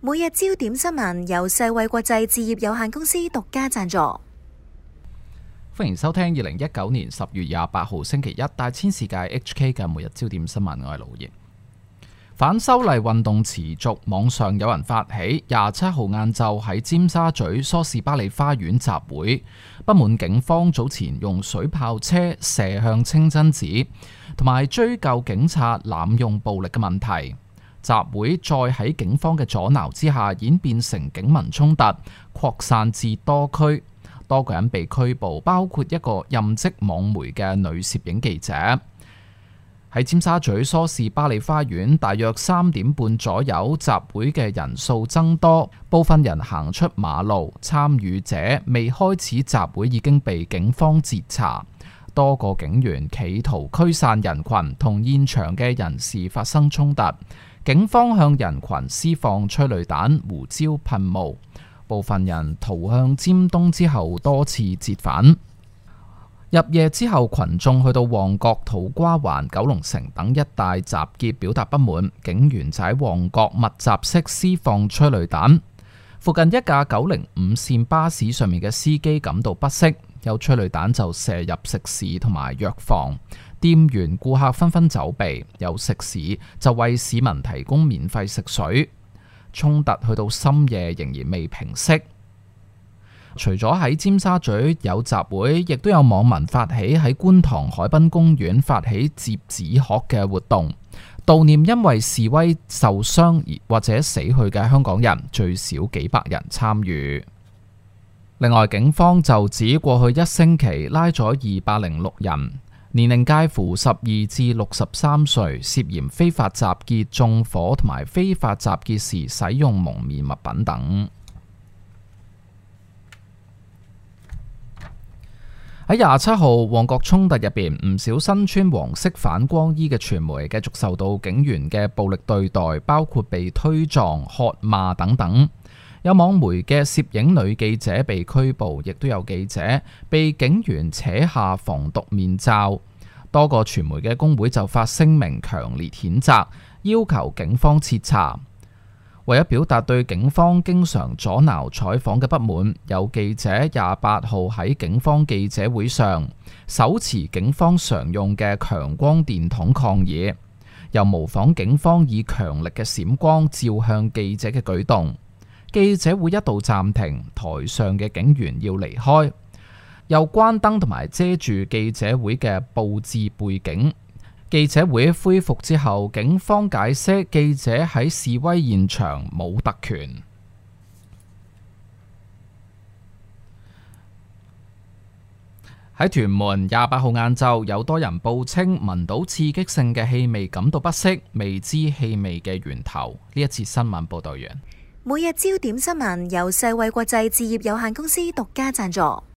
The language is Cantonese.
每日焦點新聞由世衛國際置業有限公司獨家贊助。歡迎收聽2019年10月28號星期一大千世界 HK 嘅每日焦點新聞，我係盧燁。反修例運動持續，網上有人發起27號晏晝喺尖沙咀梳士巴利花園集會，不滿警方早前用水炮車射向清真寺，同埋追究警察濫用暴力嘅問題。集會再喺警方嘅阻撓之下演變成警民衝突，擴散至多區，多個人被拘捕，包括一個任職網媒嘅女攝影記者。喺尖沙咀梳士巴利花園，大約3點半左右，集會嘅人數增多，部分人行出馬路，參與者未開始集會已經被警方截查，多個警員企圖驅散人群，同現場嘅人士發生衝突。警方向人群施放催淚彈、胡椒噴霧，部分人逃向尖東之後多次折返。入夜之後，群眾去到旺角、土瓜灣、九龍城等一帶集結，表達不滿。警員就喺旺角密集式施放催淚彈。附近一架905線巴士上面嘅司機感到不適，有催淚彈就射入食肆同埋藥房。店員、顧客紛紛走避，有食肆就為市民提供免費食水。衝突去到深夜仍然未平息。除咗喺尖沙咀有集會，亦都有網民發起喺觀塘海濱公園發起摺紙鶴嘅活動，悼念因為示威受傷或者死去嘅香港人，最少幾百人參與。另外，警方就指過去1星期拉咗206人，年齡介乎12至63歲，涉嫌非法集結、縱火同埋非法集結時使用蒙面物品等。喺27號旺角衝突入邊，唔少身穿黃色反光衣嘅傳媒繼續受到警員嘅暴力對待，包括被推撞、喝罵等等。有網媒嘅攝影女記者被拘捕，亦都有記者被警員扯下防毒面罩。多個傳媒嘅工會就發聲明強烈譴責，要求警方徹查。為咗表達對警方經常阻撓採訪嘅不滿，有記者28號喺警方記者會上手持警方常用嘅強光電筒抗議，又模仿警方以強力嘅閃光照向記者嘅舉動。記者會一度暫停，台上嘅警員要離開，又關燈同埋遮住記者會嘅佈置背景。記者會恢復之後，警方解釋記者喺示威現場冇特權。喺屯門28號晏晝，有多人報稱聞到刺激性嘅氣味，感到不適，未知氣味嘅源頭。呢一次新聞報道完。每日焦點新聞由世衛國際置業有限公司獨家贊助。